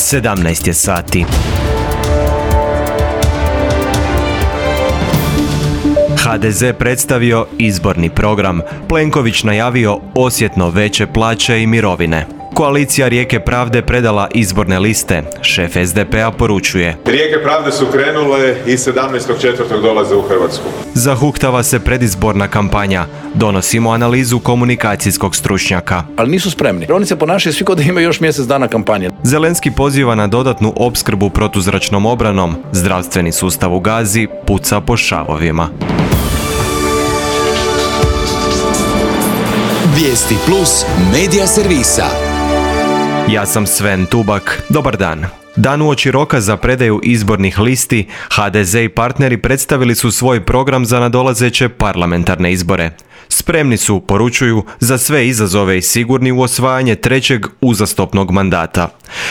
17 je sati. HDZ predstavio izborni program. Plenković najavio osjetno veće plaće i mirovine. Koalicija Rijeke pravde predala izborne liste. Šef SDP-a poručuje: Rijeke pravde su krenule i 17.4. dolaze u Hrvatsku. Zahuktava se predizborna kampanja. Donosimo analizu komunikacijskog stručnjaka. Ali nisu spremni. Oni se ponašaju svi kao da imaju još mjesec dana kampanje. Zelenski poziva na dodatnu opskrbu protuzračnom obranom. Zdravstveni sustav u Gazi puca po šavovima. Vijesti plus medija servisa. Ja sam Sven Tubak. Dobar dan. Dan uoči roka za predaju izbornih listi, HDZ i partneri predstavili su svoj program za nadolazeće parlamentarne izbore. Spremni su, poručuju, za sve izazove i sigurni u osvajanje trećeg uzastopnog mandata.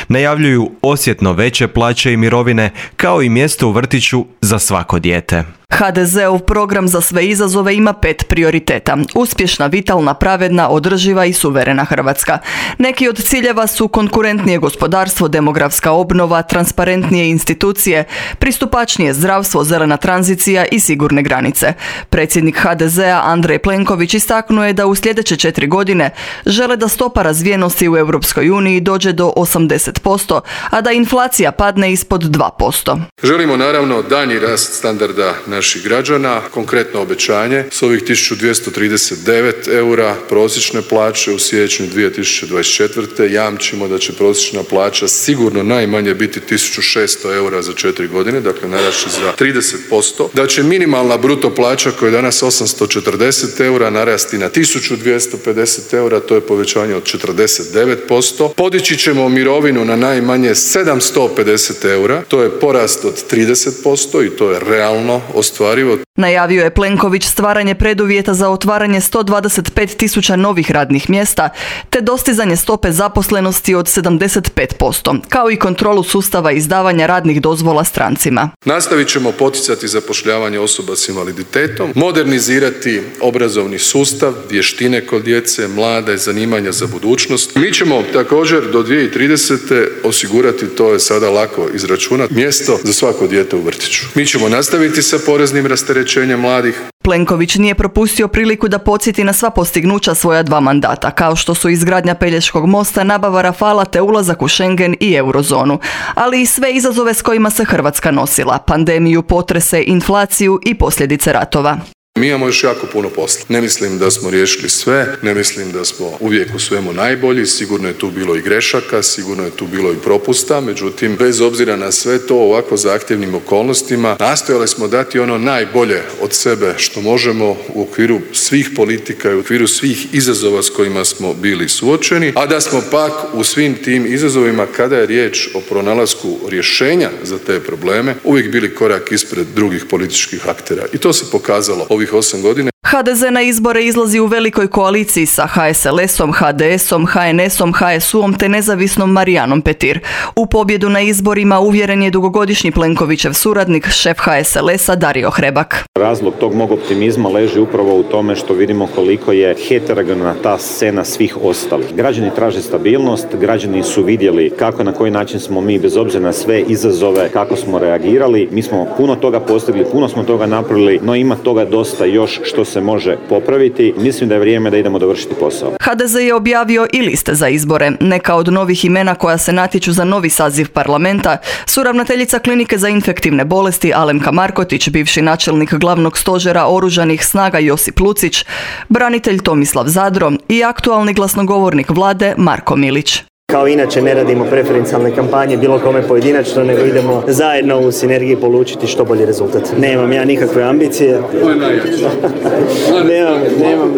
Najavljuju osjetno veće plaće i mirovine, kao i mjesto u vrtiću za svako dijete. HDZ-ov program za sve izazove ima 5 prioriteta. Uspješna, vitalna, pravedna, održiva i suverena Hrvatska. Neki od ciljeva su konkurentnije gospodarstvo, demografska obnova, transparentnije institucije, pristupačnije zdravstvo, zelena tranzicija i sigurne granice. Predsjednik HDZ-a Andrej Plenković istaknuo je da u sljedeće 4 godine žele da stopa razvijenosti u Europskoj uniji dođe do 80%, a da inflacija padne ispod 2%. Želimo naravno daljnji rast standarda naših građana, konkretno obećanje s ovih 1239 eura prosječne plaće u siječnju 2024. jamčimo da će prosječna plaća sigurno najmanje biti 1600 eura za 4 godine, dakle narasti za 30%, da će minimalna bruto plaća koja je danas 840 eura narasti na 1250 eura, to je povećanje od 49%. Podići ćemo mirovinu na najmanje 750 eura, to je porast od 30% i to je realno ostvarivo. Najavio je Plenković stvaranje preduvjeta za otvaranje 125.000 novih radnih mjesta te dostizanje stope zaposlenosti od 75%, kao i kontrolu sustava izdavanja radnih dozvola strancima. Nastavit ćemo poticati zapošljavanje osoba s invaliditetom, modernizirati obrazovni sustav, vještine kod djece, mlade, zanimanja za budućnost. Mi ćemo također do 2030. osigurati, to je sada lako izračunati, mjesto za svako dijete u vrtiću. Mi ćemo nastaviti sa poreznim rasterećenjem mladih. Plenković nije propustio priliku da podsjeti na sva postignuća svoja 2 mandata, kao što su izgradnja Pelješkog mosta, nabava Rafala te ulazak u Schengen i eurozonu, ali i sve izazove s kojima se Hrvatska nosila, pandemiju, potrese, inflaciju i posljedice ratova. Mi imamo još jako puno posla. Ne mislim da smo riješili sve, ne mislim da smo uvijek u svemu najbolji, sigurno je tu bilo i grešaka, sigurno je tu bilo i propusta, međutim, bez obzira na sve to ovako zahtjevnim okolnostima, nastojali smo dati ono najbolje od sebe što možemo u okviru svih politika i u okviru svih izazova s kojima smo bili suočeni, a da smo pak u svim tim izazovima, kada je riječ o pronalasku rješenja za te probleme, uvijek bili korak ispred drugih političkih aktera. I to se pokazalo ovih 8 godina. HDZ na izbore izlazi u velikoj koaliciji sa HSLS-om, HDS-om, HNS-om, HSU-om te nezavisnom Marijanom Petir. U pobjedu na izborima uvjeren je dugogodišnji Plenkovićev suradnik, šef HSLS-a Dario Hrebak. Razlog tog mog optimizma leži upravo u tome što vidimo koliko je heterogena ta scena svih ostalih. Građani traže stabilnost, građani su vidjeli kako na koji način smo mi, bez obzira na sve izazove, kako smo reagirali. Mi smo puno toga postigli, puno smo toga napravili, no ima toga dosta još što se može popraviti. Mislim da je vrijeme da idemo dovršiti posao. HDZ je objavio i liste za izbore. Neka od novih imena koja se natječu za novi saziv parlamenta su ravnateljica klinike za infektivne bolesti Alemka Markotić, bivši načelnik glavnog stožera oružanih snaga Josip Lucić, branitelj Tomislav Zadro i aktualni glasnogovornik vlade Marko Milić. Kao inače ne radimo preferencijalne kampanje bilo kome pojedinačno, nego idemo zajedno u sinergiji polučiti što bolji rezultat. Nemam ja nikakve ambicije.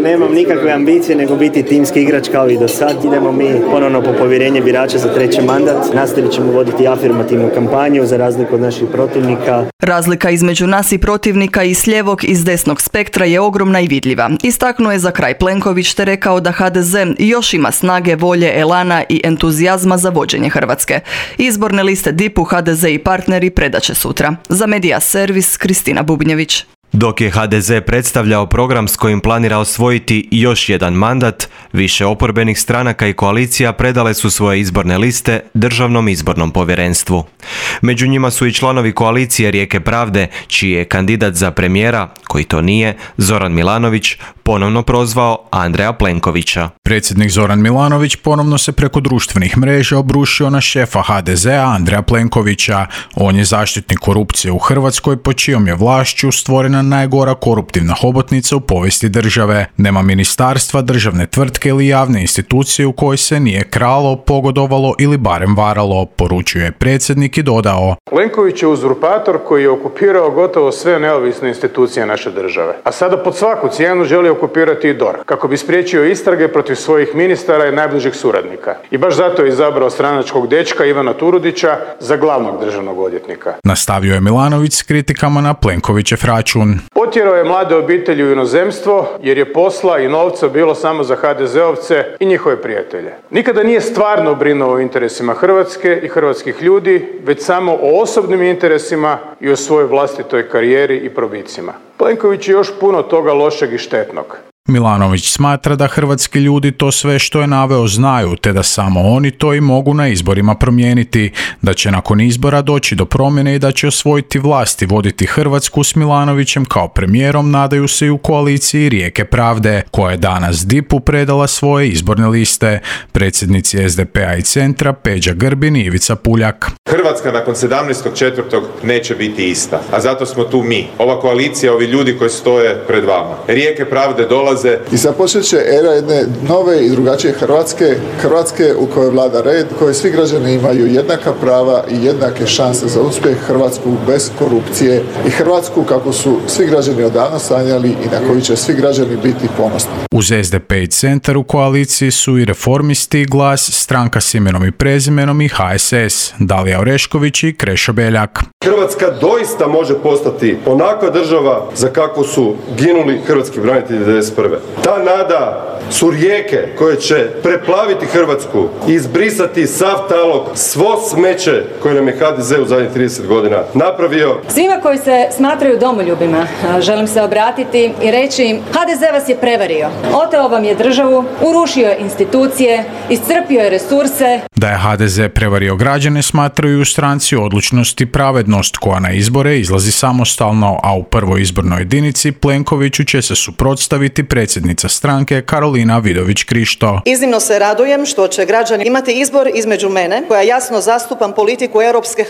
nemam nikakve ambicije nego biti timski igrač kao i do sad. Idemo mi ponovno po povjerenje birača za 3. mandat. Nastavit ćemo voditi afirmativnu kampanju za razliku od naših protivnika. Razlika između nas i protivnika i s lijevog i s desnog spektra je ogromna i vidljiva. Istaknuo je za kraj Plenković te rekao da HDZ još ima snage, volje, elana i entuzijazma za vođenje Hrvatske. Izborne liste DIP-u HDZ i partneri predaće sutra. Za Medija Servis, Kristina Bubnjević. Dok je HDZ predstavljao program s kojim planira osvojiti još jedan mandat, više oporbenih stranaka i koalicija predale su svoje izborne liste Državnom izbornom povjerenstvu. Među njima su i članovi koalicije Rijeke pravde, čiji je kandidat za premijera, koji to nije, Zoran Milanović, ponovno prozvao Andreja Plenkovića. Predsjednik Zoran Milanović ponovno se preko društvenih mreža obrušio na šefa HDZ-a Andreja Plenkovića. On je zaštitnik korupcije u Hrvatskoj, po čijom je vlašću stvorena najgora koruptivna hobotnica u povijesti države. Nema ministarstva, državne tvrtke ili javne institucije u kojoj se nije kralo, pogodovalo ili barem varalo, poručuje predsjednik i dodao: Plenković je uzurpator koji je okupirao gotovo sve neovisne institucije naše države. A sada pod svaku cijenu želi okupirati i DORH, kako bi spriječio istrage protiv svojih ministara i najbližih suradnika. I baš zato je izabrao stranačkog dečka Ivana Turudića za glavnog državnog odvjetnika. Nastavio je Milanović s kritikama na Plenkovićev račun. Potjerao je mlade obitelji u inozemstvo jer je posla i novca bilo samo za HDZ-ovce i njihove prijatelje. Nikada nije stvarno brinuo o interesima Hrvatske i hrvatskih ljudi, već samo o osobnim interesima i o svojoj vlastitoj karijeri i probicima. Plenković je još puno toga lošeg i štetnog. Milanović smatra da hrvatski ljudi to sve što je naveo znaju, te da samo oni to i mogu na izborima promijeniti, da će nakon izbora doći do promjene i da će osvojiti vlast i voditi Hrvatsku s Milanovićem kao premijerom, nadaju se i u koaliciji Rijeke pravde, koja je danas DIP-u predala svoje izborne liste. Predsjednici SDP-a i Centra Peđa Grbin i Ivica Puljak. Hrvatska nakon 17.4. neće biti ista, a zato smo tu mi, ova koalicija, ovi ljudi koji stoje pred vama. Rijeke pravde dolaze i započet će era jedne nove i drugačije Hrvatske u kojoj vlada red, u kojoj svi građani imaju jednaka prava i jednake šanse za uspjeh, Hrvatsku bez korupcije i Hrvatsku kako su svi građani odavno sanjali i na koju će svi građani biti ponosni. Uz SDP i Centar u koaliciji su i Reformisti, Glas, Stranka s imenom i prezimenom i HSS, Dalija Orešković i Krešo Beljak. Hrvatska doista može postati onakva država za kakvu su ginuli hrvatski branitelji 1991. Ta nada su rijeke koje će preplaviti Hrvatsku i izbrisati sav talog, svo smeće koje nam je HDZ u zadnjih 30 godina napravio. Svima koji se smatraju domoljubima želim se obratiti i reći im: HDZ vas je prevario, oteo vam je državu, urušio je institucije, iscrpio je resurse. Da je HDZ prevario građane smatraju u stranci Odlučnost i pravednost, koja na izbore izlazi samostalno, a u prvoj izbornoj jedinici Plenkoviću će se suprotstaviti predsjednica stranke Karolina Vidović-Krišto. Iznimno se radujem što će građani imati izbor između mene, koja jasno zastupam politiku europske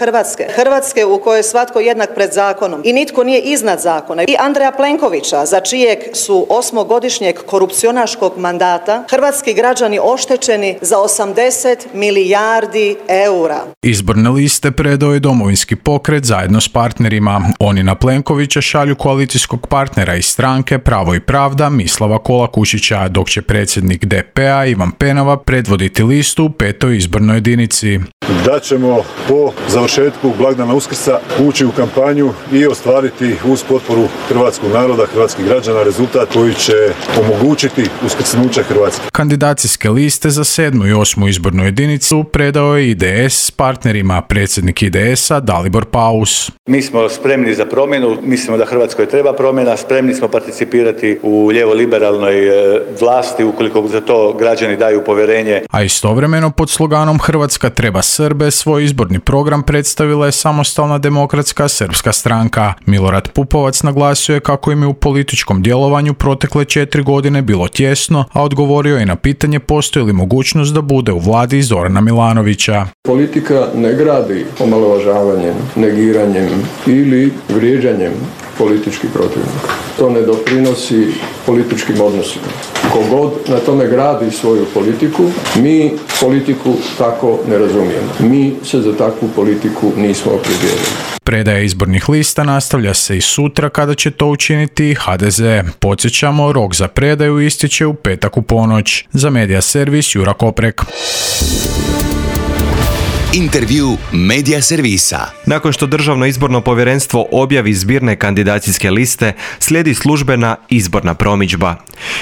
Hrvatske u kojoj je svatko jednak pred zakonom i nitko nije iznad zakona, i Andreja Plenkovića, za čijeg su 8-godišnjeg korupcionaškog mandata hrvatski građani oštećeni za 80 milijardi eura. Izborne liste predao je Domovinski pokret zajedno s partnerima. Oni na Plenkovića šalju koalicijskog partnera iz stranke Pravo i pravda Mislava Kolakušića, dok će predsjednik DP-a Ivan Penava predvoditi listu u 5. izbornoj jedinici. Da ćemo po završetku blagdana Uskrsa ući u kampanju i ostvariti uz potporu hrvatskog naroda, hrvatskih građana, rezultat koji će omogućiti uskrsnuće Hrvatske. Kandidacijske liste za 7. i 8. izbornu jedinicu predao je IDS s partnerima. Predsjednik IDS-a Dalibor Paus. Mi smo spremni za promjenu, mislimo da Hrvatskoj treba promjena, spremni smo participirati u lijevo-liberalnoj vlasti ukoliko za to građani daju povjerenje. A istovremeno pod sloganom Hrvatska treba Srbe svoj izborni program predstavila je Samostalna demokratska srpska stranka. Milorad Pupovac naglasio je kako im je u političkom djelovanju protekle 4 godine bilo tjesno, a odgovorio je na pitanje postoji li mogućnost da bude u vladi Zorana Milanovića. Politika ne gradi omalovažavanjem, negiranjem ili vrijeđanjem političkih protivnika. To ne doprinosi političkim odnosima. Kogod na tome gradi svoju politiku, mi politiku tako ne razumijemo. Mi se za takvu politiku nismo opredijelili. Predaja izbornih lista nastavlja se i sutra, kada će to učiniti HDZ. Podsjećamo, rok za predaju ističe u petak u ponoć. Za Medija servis Jura Koprek. Intervju Medija servisa. Nakon što Državno izborno povjerenstvo objavi zbirne kandidacijske liste, slijedi službena izborna promidžba.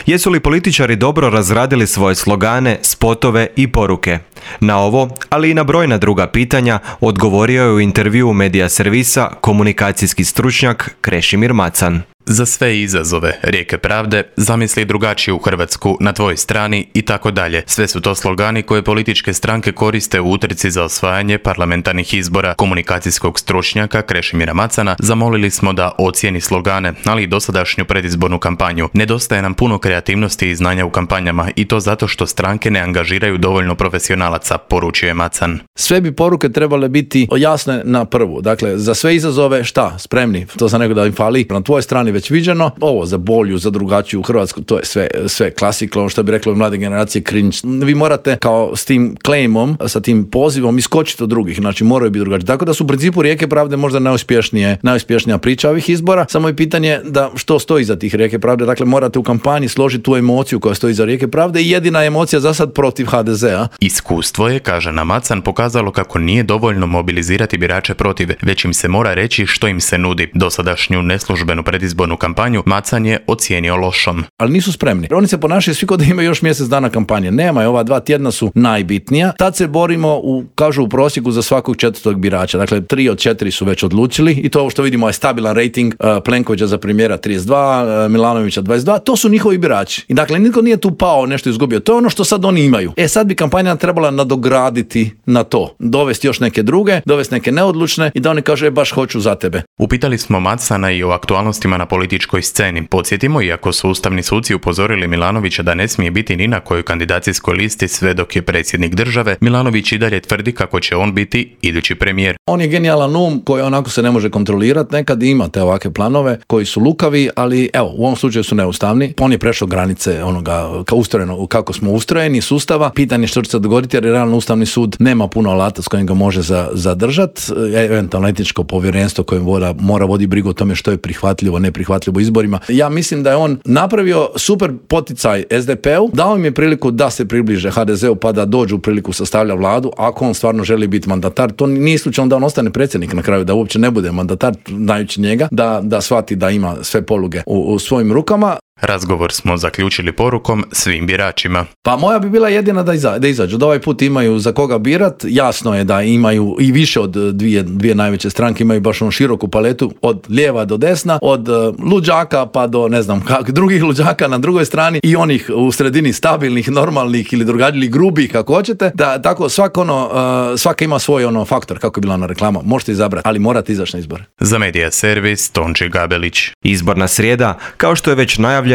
Jesu li političari dobro razradili svoje slogane, spotove i poruke? Na ovo, ali i na brojna druga pitanja, odgovorio je u intervjuu Medija servisa komunikacijski stručnjak Krešimir Macan. Za sve izazove, rijeke pravde, zamisli drugačiju Hrvatsku, na tvojoj strani i tako dalje. Sve su to slogani koje političke stranke koriste u utrci za osvajanje parlamentarnih izbora. Komunikacijskog stručnjaka Krešimira Macana zamolili smo da ocijeni slogane, ali i dosadašnju predizbornu kampanju. Nedostaje nam puno kreativnosti i znanja u kampanjama i to zato što stranke ne angažiraju dovoljno profesionalaca, poručuje Macan. Sve bi poruke trebale biti jasne na prvu. Dakle, za sve izazove šta? Spremni. To sam rekao da im fali. Na tvojoj strani već viđeno. Ovo za bolju, za drugačiju Hrvatsku, to je sve klasika, ono što bi reklo mlade generacije cringe. Vi morate kao s tim claimom, sa tim pozivom iskočiti od drugih, znači moraju biti drugačiji. Tako da su u principu rijeke pravde možda najuspješnija priča ovih izbora. Samo je pitanje da što stoji iza tih rijeke pravde. Dakle, morate u kampanji složiti tu emociju koja stoji iza rijeke pravde i jedina emocija za sad protiv HDZ-a. Iskustvo je, kaže nam Macan, pokazalo kako nije dovoljno mobilizirati birače protiv, već im se mora reći što im se nudi. Dosadašnju neslužbenu predizbornu kampanju Macan je ocijenio lošom. Ali nisu spremni. Oni se ponašaju svi kao da imaju još mjesec dana kampanje. Nema je, ova 2 tjedna su najbitnija. Tad se borimo kažu u prosjeku za svakog 4. birača. Dakle, 3 od 4 su već odlučili i to ovo što vidimo je stabilan rating Plenkovića za premijera 32, Milanovića 22. To su njihovi birači. I dakle, nitko nije tu pao, nešto izgubio. To je ono što sad oni imaju. Sad bi kampanja trebala nadograditi na to. Dovesti još neke druge, dovesti neke neodlučne i da oni kažu baš hoću za tebe. Upitali smo Macana i o aktualnostima na političkoj sceni. Podsjetimo, iako su ustavni suci upozorili Milanovića da ne smije biti ni na kojoj kandidacijskoj listi sve dok je predsjednik države, Milanović i dalje tvrdi kako će on biti idući premijer. On je genijalan um koji onako se ne može kontrolirati, nekad imate ovakve planove koji su lukavi, ali evo, u ovom slučaju su neustavni. On je prešao granice onoga kako smo ustrojeni sustava. Pitanje što će se dogoditi jer realno Ustavni sud nema puno alata s kojim ga može zadržati. Eventualno etičko povjerenstvo koje mora voditi brigu o tome što je prihvatljivo, neprihvatljivo izborima. Ja mislim da je on napravio super poticaj SDP-u, dao im je priliku da se približe HDZ-u pa da dođu u priliku sastavlja vladu, ako on stvarno želi biti mandatar. To nije slučajno da on ostane predsjednik na kraju, da uopće ne bude mandatar, znajući njega, da shvati da ima sve poluge u svojim rukama. Razgovor smo zaključili porukom svim biračima. Pa moja bi bila jedina da izađu. Da ovaj put imaju za koga birat. Jasno je da imaju i više od dvije najveće stranke, imaju baš onu široku paletu od lijeva do desna, od luđaka pa do ne znam drugih luđaka na drugoj strani i onih u sredini stabilnih, normalnih ili drugačijih, grubih kako hoćete. Da tako svaka ima svoj faktor kako je bila na reklama. Možete izabrati, ali morate izaći na izbore. Za Medija servis Tonči Gabelić. Izborna srijeda, kao što je već najavljeno,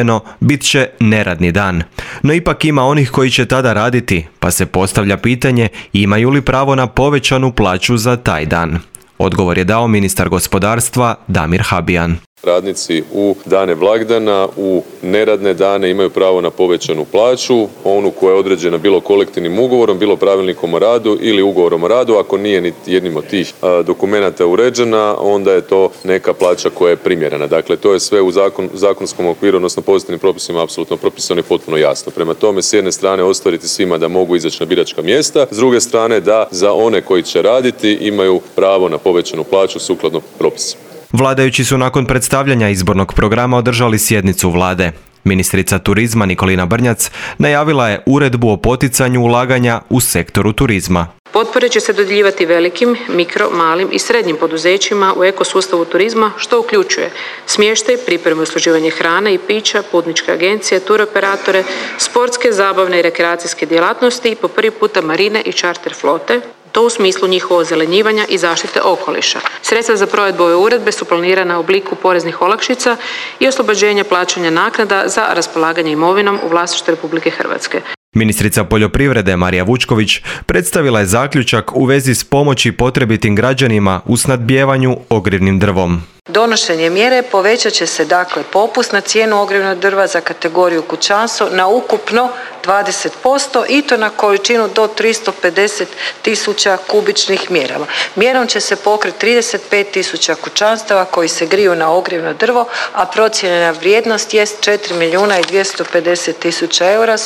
bit će neradni dan. No ipak ima onih koji će tada raditi, pa se postavlja pitanje imaju li pravo na povećanu plaću za taj dan. Odgovor je dao ministar gospodarstva Damir Habijan. Radnici u dane blagdana, u neradne dane imaju pravo na povećanu plaću, onu koja je određena bilo kolektivnim ugovorom, bilo pravilnikom o radu ili ugovorom o radu. Ako nije niti jednim od tih dokumenata uređena, onda je to neka plaća koja je primjerena. Dakle, to je sve u zakonskom okviru, odnosno pozitivnim propisima apsolutno propisano i potpuno jasno. Prema tome, s jedne strane ostvariti svima da mogu izaći na biračka mjesta, s druge strane da za one koji će raditi imaju pravo na povećanu plaću sukladno propisima. Vladajući su nakon predstavljanja izbornog programa održali sjednicu vlade. Ministrica turizma Nikolina Brnjac najavila je uredbu o poticanju ulaganja u sektoru turizma. Potpore će se dodjeljivati velikim, mikro, malim i srednjim poduzećima u ekosustavu turizma, što uključuje smještaj, pripremu i usluživanje hrane i pića, putničke agencije, turoperatore, sportske, zabavne i rekreacijske djelatnosti i po prvi puta marine i čarter flote, to u smislu njihovog ozelenjivanja i zaštite okoliša. Sredstva za provedbu ove uredbe su planirana u obliku poreznih olakšica i oslobođenja plaćanja naknada za raspolaganje imovinom u vlasništvu Republike Hrvatske. Ministrica poljoprivrede Marija Vučković predstavila je zaključak u vezi s pomoći potrebitim građanima u snadbijevanju ogrjevnim drvom. Donošenje mjere povećat će se dakle popust na cijenu ogrjevnog drva za kategoriju kućanstvo na ukupno 20% i to na količinu do 350.000 kubičnih mjerama. Mjerom će se pokriti 35.000 kućanstava koji se griju na ogrjevno drvo, a procijenjena vrijednost jest 4.250.000 eura.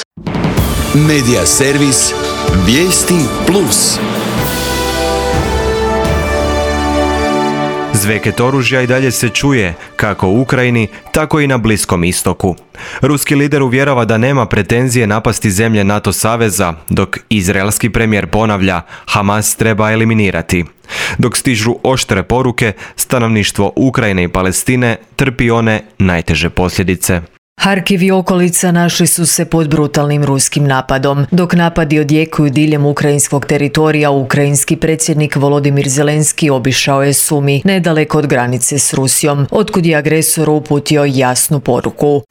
Medija servis Vijesti Plus. Zveket oružja i dalje se čuje kako u Ukrajini, tako i na Bliskom istoku. Ruski lider uvjerava da nema pretenzije napasti zemlje NATO saveza, dok izraelski premijer ponavlja Hamas treba eliminirati. Dok stižu oštre poruke, stanovništvo Ukrajine i Palestine trpi one najteže posljedice. Harkiv i okolica našli su se pod brutalnim ruskim napadom. Dok napadi odjekuju diljem ukrajinskog teritorija, ukrajinski predsjednik Volodimir Zelenski obišao je Sumi, nedaleko od granice s Rusijom, otkud je agresor uputio jasnu poruku.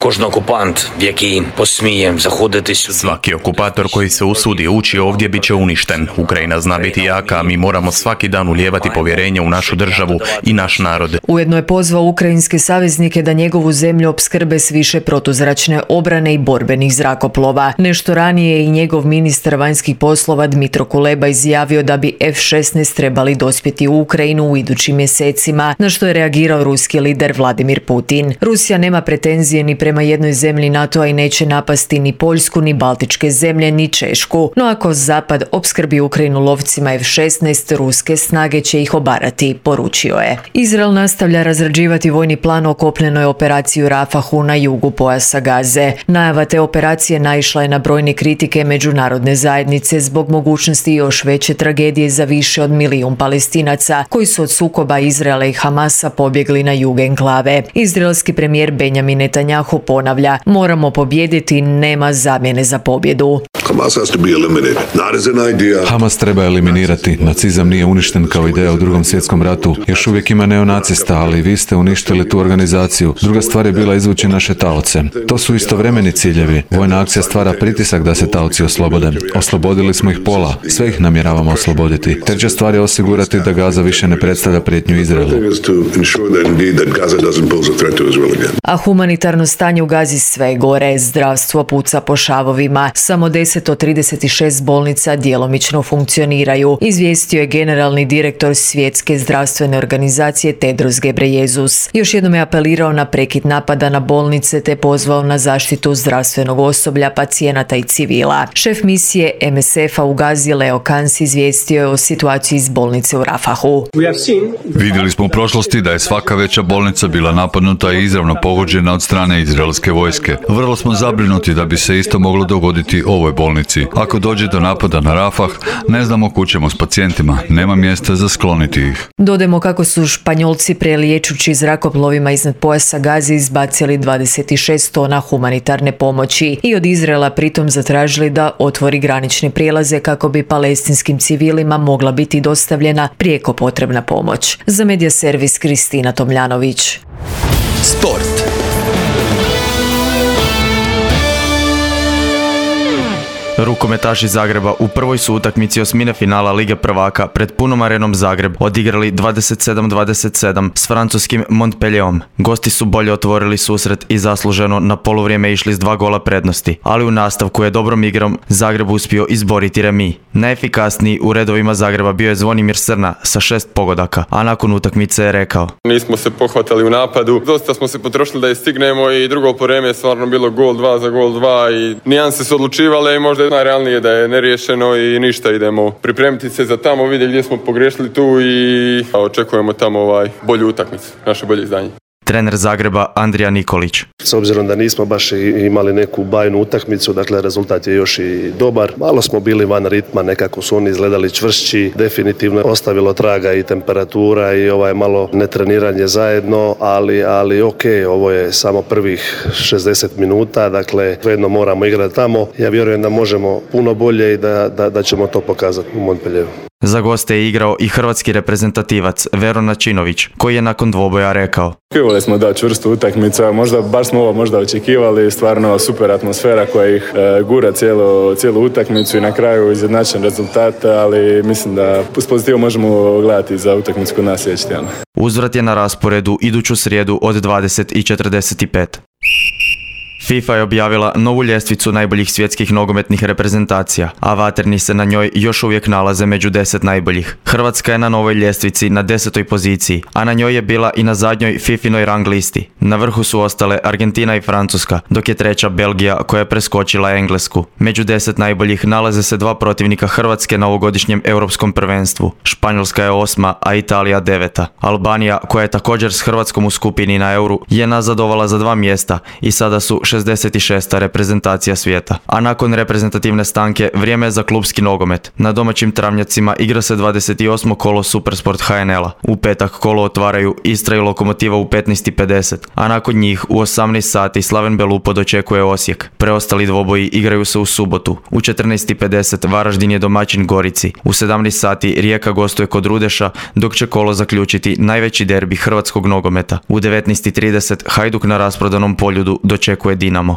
Svaki okupator koji se usudi ući ovdje bit će uništen. Ukrajina zna biti jaka, a mi moramo svaki dan ulijevati povjerenje u našu državu i naš narod. Ujedno je pozvao ukrajinske saveznike da njegovu zemlju opskrbe s više protuzračne obrane i borbenih zrakoplova. Nešto ranije je i njegov ministar vanjskih poslova Dmitro Kuleba izjavio da bi F-16 trebali dospjeti u Ukrajinu u idućim mjesecima, na što je reagirao ruski lider Vladimir Putin. Rusija nema pretenzije ni prema jednoj zemlji NATO-a i neće napasti ni Poljsku, ni Baltičke zemlje, ni Češku. No ako Zapad opskrbi Ukrajinu lovcima F-16, ruske snage će ih obarati, poručio je. Izrael nastavlja razrađivati vojni plan o kopnenoj operaciji u Rafahu na jugu pojasa Gaze. Najava te operacije naišla je na brojne kritike međunarodne zajednice zbog mogućnosti još veće tragedije za više od 1 milijun Palestinaca koji su od sukoba Izraela i Hamasa pobjegli na jug enklave. Izraelski premijer Benjamin Netanjahu ponavlja: moramo pobijediti, nema zamjene za pobjedu. Hamas treba eliminirati. Nacizam nije uništen kao ideja u Drugom svjetskom ratu. Još uvijek ima neonacista, ali vi ste uništili tu organizaciju. Druga stvar je bila izvući naše taoce. To su istovremeni ciljevi. Vojna akcija stvara pritisak da se taoci oslobode. Oslobodili smo ih pola. Sve ih namjeravamo osloboditi. Treća stvar je osigurati da Gaza više ne predstavlja prijetnju Izraelu. A humanitarno stanje u Gazi sve gore. Zdravstvo puca po šavovima. Samo 10 od 36 bolnica djelomično funkcioniraju, izvijestio je generalni direktor Svjetske zdravstvene organizacije Tedros Ghebreyesus. Još jednom je apelirao na prekid napada na bolnice te pozvao na zaštitu zdravstvenog osoblja, pacijenata i civila. Šef misije MSF-a u Gazi Leo Kans izvijestio je o situaciji iz bolnice u Rafahu. Vidjeli smo u prošlosti da je svaka veća bolnica bila napadnuta i izravno pogođena od strane izraelske vojske. Vrlo smo zabrinuti da bi se isto moglo dogoditi ovoj bolnici. Ako dođe do napada na Rafah, ne znamo kud ćemo s pacijentima, nema mjesta za skloniti ih. Dodajmo kako su Španjolci preliječući zrakoplovima iznad pojasa Gaze izbacili 26 tona humanitarne pomoći i od Izraela pritom zatražili da otvori granične prijelaze kako bi palestinskim civilima mogla biti dostavljena prijeko potrebna pomoć. Za Medija servis Kristina Tomljanović. Sport. Rukometaši Zagreba u prvoj su utakmici osmine finala Lige prvaka pred punom arenom Zagreb odigrali 27-27 s francuskim Montpellierom. Gosti su bolje otvorili susret i zasluženo na poluvrijeme išli s 2 gola prednosti, ali u nastavku je dobrom igrom Zagreb uspio izboriti remi. Najefikasniji u redovima Zagreba bio je Zvonimir Srna sa 6 pogodaka, a nakon utakmice je rekao: nismo se pohvatali u napadu, dosta smo se potrošili da je stignemo i drugo poreme je stvarno bilo gol 2 za gol 2 i nijanse su odlučivale i možda najrealnije da je neriješeno i ništa, idemo pripremiti se za tamo, vidjeti gdje smo pogriješili tu i očekujemo tamo bolju utakmicu, naše bolje izdanje. Trener Zagreba Andrija Nikolić. S obzirom da nismo baš imali neku bajnu utakmicu, dakle rezultat je još i dobar. Malo smo bili van ritma, nekako su oni izgledali čvršći, definitivno ostavilo traga i temperatura i malo netreniranje zajedno, ali ok, ovo je samo prvih 60 minuta, dakle jedno moramo igrati tamo. Ja vjerujem da možemo puno bolje i da ćemo to pokazati u Montpellieru. Za goste je igrao i hrvatski reprezentativac Vero Načinović, koji je nakon dvoboja rekao: očekivali smo da čvrstu utakmicu, baš smo ovo očekivali, stvarno super atmosfera koja ih gura cijelu utakmicu i na kraju izjednačen rezultat, ali mislim da s pozitivom možemo gledati za utakmicu kod nas sljedeći tjedan. Uzvrat je na rasporedu iduću srijedu od 20:45. FIFA je objavila novu ljestvicu najboljih svjetskih nogometnih reprezentacija, a vaterni se na njoj još uvijek nalaze među 10 najboljih. Hrvatska je na novoj ljestvici na 10. poziciji, a na njoj je bila i na zadnjoj FIFA-inoj rang listi. Na vrhu su ostale Argentina i Francuska, dok je treća Belgija koja je preskočila Englesku. Među 10 najboljih nalaze se dva protivnika Hrvatske na ovogodišnjem europskom prvenstvu. Španjolska je 8, a Italija 9. Albanija, koja je također s Hrvatskom u skupini na Euru, je nazadovala za 2 mjesta i sada su 66. reprezentacija svijeta. A nakon reprezentativne stanke vrijeme je za klupski nogomet. Na domaćim travnjacima igra se 28. kolo Supersport HNL-a. U petak kolo otvaraju Istra i Lokomotiva u 15:50, a nakon njih u 18 sati Slaven Belupo dočekuje Osijek. Preostali dvoboji igraju se u subotu. U 14:50 Varaždin je domaćin Gorici. U 17 sati Rijeka gostuje kod Rudeša, dok će kolo zaključiti najveći derbi hrvatskog nogometa. U 19:30 Hajduk na rasprodanom Poljudu dočekuje Dinamo.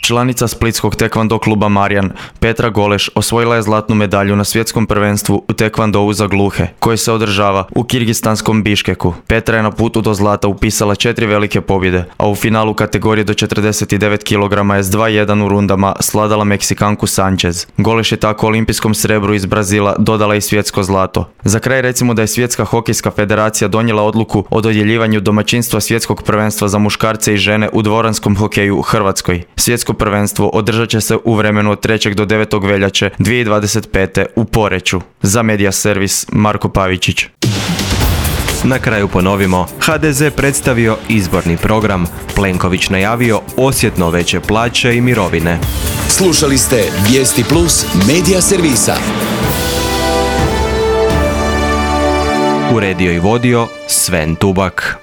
Članica splitskog tekvando kluba Marjan, Petra Goleš, osvojila je zlatnu medalju na svjetskom prvenstvu u tekvandou za gluhe, koje se održava u kirgistanskom Biškeku. Petra je na putu do zlata upisala 4 velike pobjede, a u finalu kategorije do 49 kg je s 2:1 u rundama sladala Meksikanku Sanchez. Goleš je tako olimpijskom srebru iz Brazila dodala i svjetsko zlato. Za kraj recimo da je Svjetska hokejska federacija donijela odluku o dodjeljivanju domaćinstva svjetskog prvenstva za muškarce i žene u dvoranskom hokeju u Hrvatskoj. Svjetsko prvenstvo održat će se u vremenu od 3. do 9. veljače 2025. u Poreču. Za Media Servis Marko Pavičić. Na kraju ponovimo, HDZ predstavio izborni program, Plenković najavio osjetno veće plaće i mirovine. Slušali ste Vijesti Plus Media Servisa. Uredio i vodio Sven Tubak.